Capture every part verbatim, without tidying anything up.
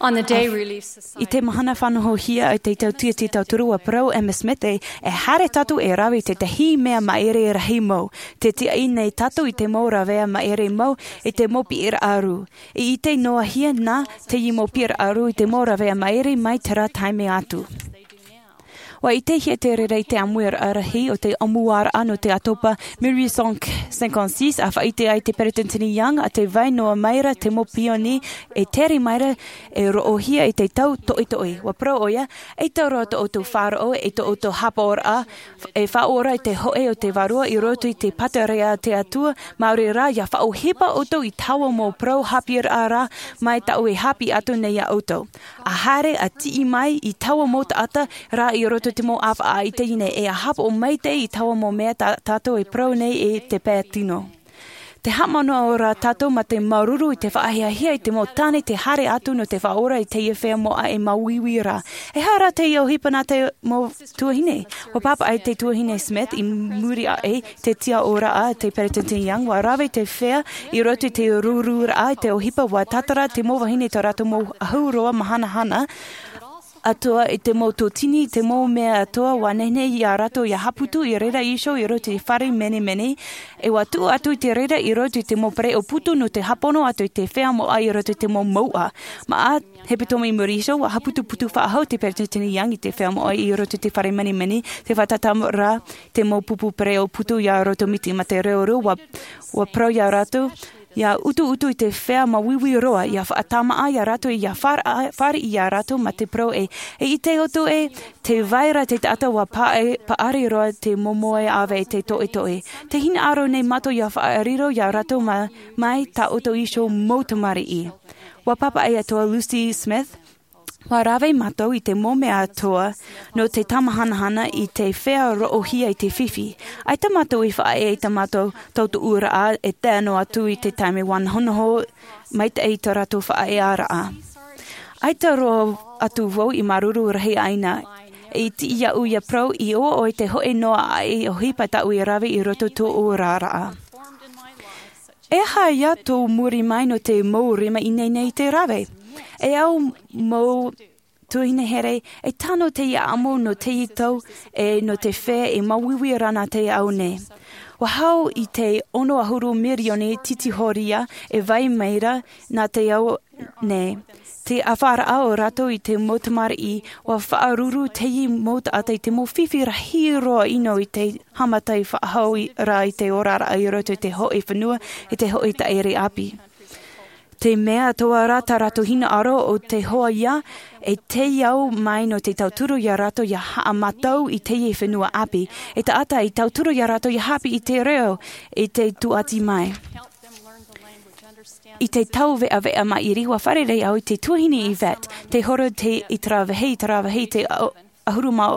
I te mahana fānohohia i te tautia te tauturu, ua parau Emma Smith e haere tātou e rave i tētahi mea māere rahi mau. Te tiaʻi nei tātou i te mau ravea māere mau i te mau piʻiraʻa rū. I ʻite noa hia nā teie mau piʻiraʻa rū i te mau ravea māere mai terā taime atu. Ua ʻitehia te reira i te ʻāmuiraʻa rahi o te ʻōmuaraʻa nō te ʻātopa mille huit cent cinquante-six, a faʻaʻite ai te peretiteni Young a te vai noa mai ra te mau pioni e tere mai ra e roʻohia i te tau toʻetoʻe. Ua parau ʻoia, e tau roa tō ʻoutou faʻaroʻo e tō ʻoutou hāpaʻoraʻa e faʻaora i te hoʻe o te vārua i roto i te pātireia a te Atua, māori rā ia faʻaʻohipa ʻoutou i taua mau parau hāpiʻiraʻa rā mai tāʻu e hāpiʻi atu nei iā ʻoutou. A haere a tiʻi mai i taua mau taʻata rā i roto i te mau ʻāfaʻa i teie nei, e a hāpaʻo maitaʻi i taua mau mea tā tātou e parau nei i te pae tino. Te haʻamanaʻo rā tātou mā te māuruuru i te faʻahiahia i te mau tāne te haere atu nō te faʻaora i teie feiā moʻa e māuiui rā. E aha rā te ʻohipa nā te mau tuahine? Ua pāpaʻi te tuahine Smith i muri aʻe te tiaʻoraʻa a te peretiteni Young, ua rave te feiā i roto i te rururaʻa i te ʻohipa, ua tātara te mau vahine i tō rātou mau ahuroa mahanahana atoʻa i te mau tōtini, te mau mea atoʻa, ua nehenehe iā rātou ia haʻaputu i reira iho i roto i te fare menemene, e ua tuʻu atu i te reira i roto i te mau pereʻoʻo putu nō te hāpono atu i te feiā moʻa i roto i te mau mouʻa. Maʻa hepetoma i muri iho, ua haʻaputuputu faʻahou te peretiteni Young i te feiā moʻa i roto i te fare menemene, tē fātata ra te mau pupu pereʻoʻo putu iā rātou miti. Mā te reo rū, ua, ua parau iā rātou ia utuutu i te feiā māuiui roa, ia faʻatāmāʻa iā rātou, ia fāriʻi, fāriʻi iā rātou mā te parau ē, e ʻite ʻoutou ē, tē vai ra te taʻata ua paʻari, paʻari roa te momoe ʻāvae i te toʻetoʻe. Tē hinaʻaro nei mātou ia faʻariro iā rātou mā, mai tā ʻoutou iho mau tamariʻi. Ua pāpaʻi atoʻa Lucy Smith, ua rave mātou i te mau mea atoʻa nō te tāmahanahana i te feiā roʻohia i te fifi. ʻAita mātou i faʻaea i tā mātou tautuʻuraʻa e tae noa atu i te taime ua nohonoho maitaʻi i tō rātou faʻaearaʻa. ʻAita roa atu vau i māuruuru rahi aʻe na, e tiʻi iāʻu ia parau i ʻō ʻoe te hoʻe noa aʻe ʻohipa tāʻu e rave i roto tō oraraʻa. E aha ïa tō muri mai nō te mau rima ineine i te rave? E au mau tuahine here, e tano teie ʻamo nō teie tau, e nō te feiā e māuiui ra nā te ao nei. Ua hau i te ono ʻahuru mirioni titi horia e vai mai ra nā te ao nei. Te ʻāfaʻaraʻa o rātou i te mau tamariʻi, ua faʻaruru teie mau taʻata i te mau fifi rahi roa ʻino i te haʻamata faʻahou i, rā i te oraraʻa i roto i te hōʻē fenua, i te hōʻē taʻere ʻāpī. Te mea atoʻa rā tā rātou hinaʻaro ʻo te hoa ïa, e tei au mai nō te tauturu iā rātou ia haʻamātau i teie fenua ʻāpī. E taʻata i tauturu iā rātou ia haʻapiʻi i te reo, i te tūʻati mai. I te tau veʻaveʻa maʻiri, ua fārerei au i te tuahine Yvette, tē horo te, i terā vāhi, i terā vāhi, te ʻahuru mā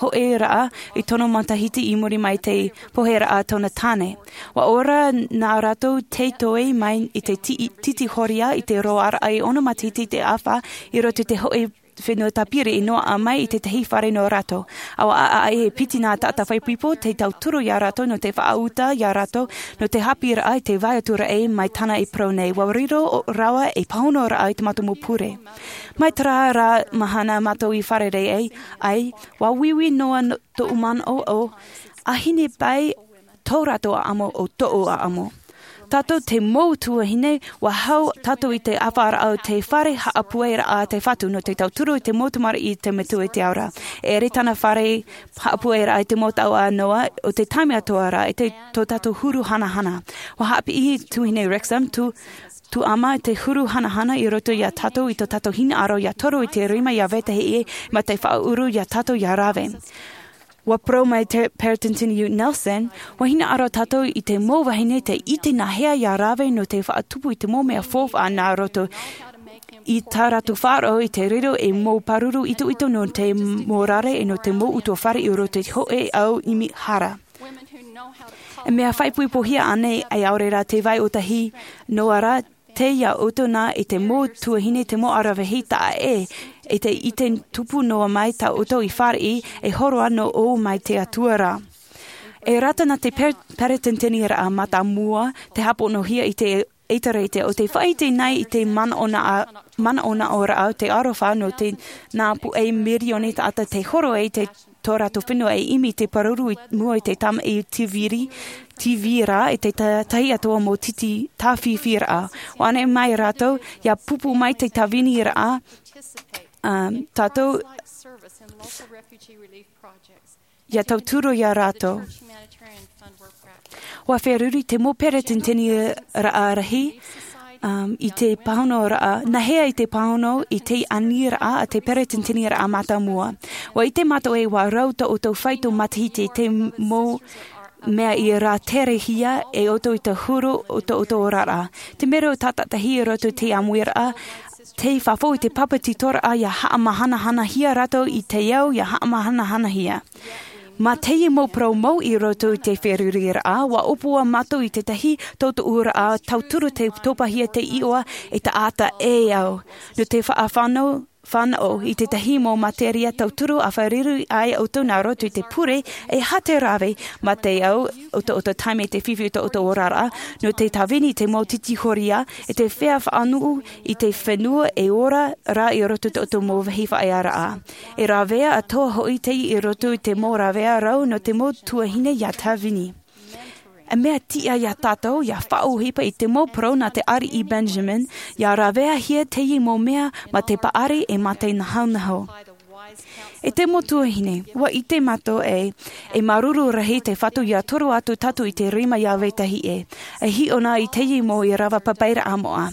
hōʻē raʻa i tono matahiti i muri mai i te poheraʻa a tōna tāne. Ua ora nā rātou tei toe mai i te ti-, titi horia i te roaraʻa e ono matahiti i te ʻāfa i roto i te hōʻē fenua tāpiri i noaʻa mai i tētahi fare nō rātou. ʻAua ʻaʻaʻe e piti nā taʻata faʻaipoipo te tauturu iā rātou nō te faʻauta iā rātou nō te haʻapiʻiraʻa i te vai atu ra ē mai tāna e parau nei, ua riro o-, rawa e pāhonoraʻa i te mātou mau pure. Mai terā rā mahana mātou i fārerei ai, ai, ua uiui noa no-, tōʻu manaʻo ʻo, ʻāhine paʻi tō rātou ʻaʻamo ʻo tōʻu ʻaʻamo. Tātou te mau tuahine, ua hau tātou i te ʻāfaʻaraʻa o te fare haʻapueraʻa a te Fatu nō te tauturu i te mau tamariʻi i te metua i te ao ra. E ʻere tāna fare haʻapueraʻa i te mau tau ʻa Noa, ʻo te taime atoʻa ra, i te, tō tātou huru hanahana. Ua haʻapiʻi tuahine Rexham, tū, tū ʻama te huru hanahana i roto iā tātou i tō tātou hinaʻaro ia toru i te rima ia vetahi ʻē, mā te faʻaʻuru iā tātou ia rave. Ua parau mai te Peretiteni Nelson, ua hinaʻaro tātou i te mau vahine tē ʻite nāhea ia rave nō te faʻatupu i te mau mea faufaʻa nā roto i tā rātou faʻaroʻo i te riro e mau pāruru itoito nō te mau rare e nō te mau utuafare i roto i te hōʻē ao ʻimi hara. E mea faʻaipoipohia ānei, e ʻaore rā te vai ʻōtahi noa rā, tei iā ʻoutou nā i te mau tuahine te mau aravihi taʻa ʻē, i te, i te tupu noa mai tā ʻoutou i fāriʻi, e horo anō ʻo mai te Atua ra. E rata nā te per-, peretiteniraʻa mātāmua te hāponohia i te ʻEtārētia, ʻo te faʻaʻite nei i te manaʻonaʻa-, manaʻonaʻoraʻa o te aroha nō te nā puʻe mirioni taʻata tei horo ai i tō rātou fenua e ʻimi i te pāruru i mua i te tamaʻi tīviri, tīvira, i te ta-, tahi atoʻa mau titi tāfifi raʻa. ʻUa ʻaneʻi mai rātou, ʻia pupu mai te tāviniraʻa, um, tātou, ʻia tauturu ia rātou. ʻUa feruri te mau peresideni-raʻa rahi, um, i te pāhonoraʻa, nā hea i te pāhono i te aniraʻa a te peresideni-raʻa mātāmua. ʻUa ʻite mātou ē ʻua rau tō ʻoutou faito matahiti i te mau mea i rāterehia e ʻoutou i te huru o tō ʻoutou oraraʻa. Te mero tātaʻitahi i roto i te ʻāmuiraʻa, tei fafau i te papetitoraʻa ʻia haʻamahanahanahia rātou i te ao ʻia haʻamahanahanahia. Mā teie mau parau mau i roto i te feruriraʻa, ʻua ʻōpua mātou i tētahi tōtōʻuraʻa tauturu tei topahia te iʻoa e taʻata e au. Nō te faʻafānau, fānaʻo i tētahi mau materia tauturu ʻa feruri ai ʻoutou nā roto i te pure, e aha te rave, mā te au o tō ʻoutou taime i te fifi o tō ʻoutou oraraʻa, nō te tāvini i te mau titi horia, e te feiā faʻanuʻu i te fenua e ora rā i roto i tō ʻoutou mau vāhi faʻaearaʻa. E rāveʻa atoʻa hoʻi teie i roto i te mau rāveʻa rau nō te mau tuahine ʻia tāvini. E mea tiʻa ia tātou ʻia faʻaʻohipa i te mau parau nā te ariʻi Benjamin, ʻia rāveʻahia teie mau mea mā te paʻari e mā te nahonaho. E te mau tuahine, ʻua ʻite mātou ē, e māuruuru rahi te Fatu ʻia toro atu tātou i te rima ʻia vetahi ē. E hiʻo na i teie mau ʻīrava papairaʻa moʻa.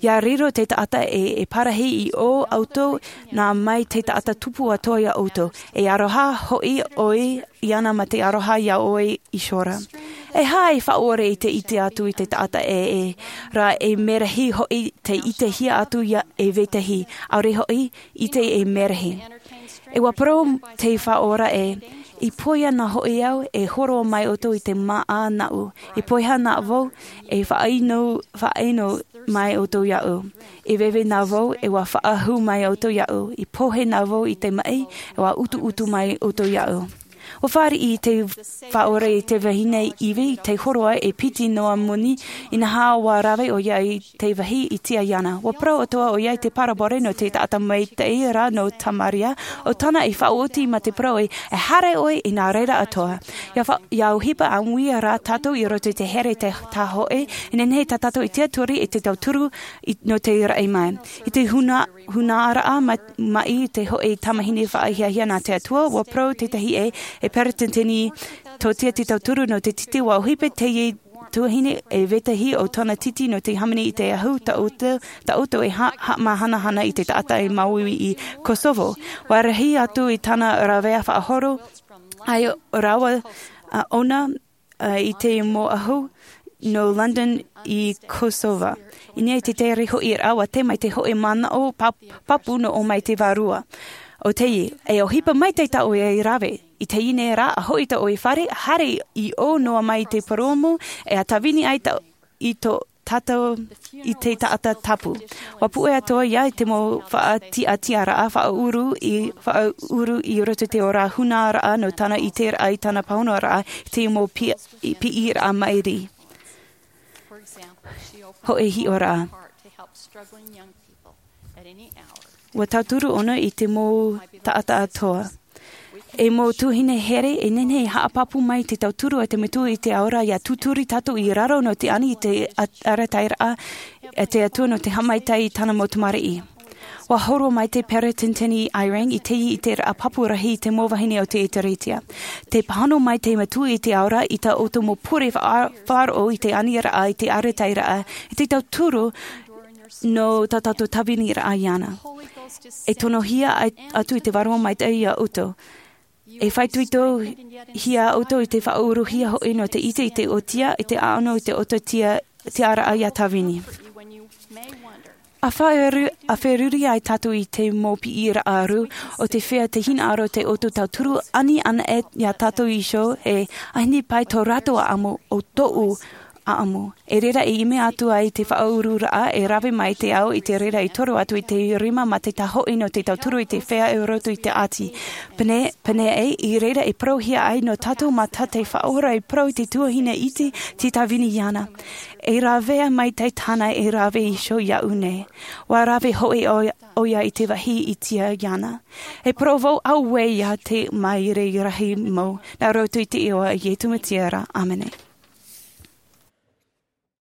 ʻIa riro te taʻata ē e parahi i ō ʻoutou nā mai te taʻata tupu atoʻa ia ʻoutou. E aroha hoʻi ʻoe iāna mā te aroha ia ʻoe iho ra. E aha e faʻaʻore i te ʻite atu i te taʻata ē, ē, rā e merahi hoʻi te ʻitehia atu ia e vetahi, ʻaore hoʻi ʻite e merahi. E ʻua parau te Faʻaora ē, i pohe ana hoʻi au, e hōroʻa mai ʻoutou i te māʻa nāʻu. I pohe ana vau, e faʻaʻino, faʻaʻino mai ʻoutou iāʻu. I veve na vau, e ʻua faʻahou mai ʻoutou iāʻu. I pohe na vau i te maʻi, e ʻua utuutu mai ʻoutou iāʻu. ʻUa fāriʻi te Faʻaora i te vahine ivi, tei hōroʻa e piti noa moni, inaha ʻua rave ʻoia i te vāhi i tiʻa iāna. ʻUa parau atoʻa ʻoia i te parabole nō te taʻata maitaʻi ra nō Tamaria, ʻo tāna i faʻaoti mā te parau ē, e haere ʻoe i nā reira atoʻa. ʻIa fa-, ʻia ʻohipa ʻāmui rā tātou i roto i te here te tāhoʻe, e nehenehe tā tātou e tiʻaturi i te tauturu i, nō te raʻi mai. I te huna-, hunaraʻa ma-, maʻi te hōʻē tamahine faʻahiahia nā te Atua, ʻua parau tētahi ē, e peresideni tōtia te tauturu nō te titi, ʻua ʻohipa teie tuahine e vetahi o tōna titi nō te hāmani i te ahu, tā ʻoutou, tā ʻoutou e ha-, haʻamahanahana i te taʻata e māuiui i Kosovo. ʻUa rahi atu i tāna rāveʻa faʻahoro, ʻaore rāua, ā, ʻōna, ā, i te mau ahu nō London i Kosovo. I niʻa i te tere hoʻi ra, ʻua tae mai te hōʻē manaʻo pap-, pāpū nō ʻōmaite vārua. ʻO teie, e ʻohipa maitaʻi tā ʻoe e rave. I teie nei rā, ʻa hoʻi tō ʻoe fare, haere i ʻō noa mai i te purōmu, e ʻa tāvini ai tā, i tō tātou, i te taʻata tapu. ʻUa puʻe atoʻa ia i te mau faʻatiʻatiʻaraʻa, faʻaʻuru i, faʻaʻuru i roto i te ora hunaraʻa nō tāna ʻiteraʻa i tāna pāhonoraʻa, i te mau pi-, i piʻiraʻa maʻiri. Hōʻē hiʻoraʻa. ʻUa tauturu ʻōna i te mau taʻata atoʻa. E mau tuahine here, e nehenehe e haʻapāpū mai te tauturu a te Metua i te Ao ra ʻia tūturi tātou i raro nō te ani i te a-, arataʻiraʻa a te Atua nō te haʻamaitaʻi i tāna mau tamariʻi. ʻUa hōroʻa mai te peresideni Eyring i teie ʻiteraʻa pāpū rahi i te mau vahine o te ʻEtārētia. Tē pāhono mai te Metua i te Ao ra i tā ʻoutou mau pure faʻa-, faʻaroʻo i te aniraʻa, i te arataʻiraʻa, i te tauturu nō tā tātou tāviniraʻa iāna. E tonohia ai, atu i te Vārua Maitaʻi ia ʻoutou. E faʻaitoitohia ʻoutou i te faʻauruhia hoʻi nō te ʻite i te ʻōtia, i te ʻaʻano i te ʻōtotia, tiʻaraʻa ʻia tāvini. ʻA faʻaru-, ʻa feruri ai tātou i te mau piʻiraʻa ʻaru, ʻo te feiā te hinaʻaro te ʻoutou tauturu ani anaʻe ia tātou iho ē, ʻaita e pae tō rātou ʻaʻamu ʻo tōʻu ʻaʻamu. E reira e ʻimi atu ai te faʻaururaʻa e rave mai te ao i te reira e toru atu i te rima mā te tahoʻi nō te tauturu i te feiā i roto i te ʻāti. Pēneiaʻe i reira e parauhia ai nō tātou mā tā te faʻaora e parau i te tuahine iti, te tāvini iāna. E ravea mai te tāna e rave iho iaʻu nei. Ua rave hoʻi ʻoia i te vāhi i tia iāna. E parau vau auē ia te maere rahi mau nā roto i te iʻoa a iesu mesia. Āmene.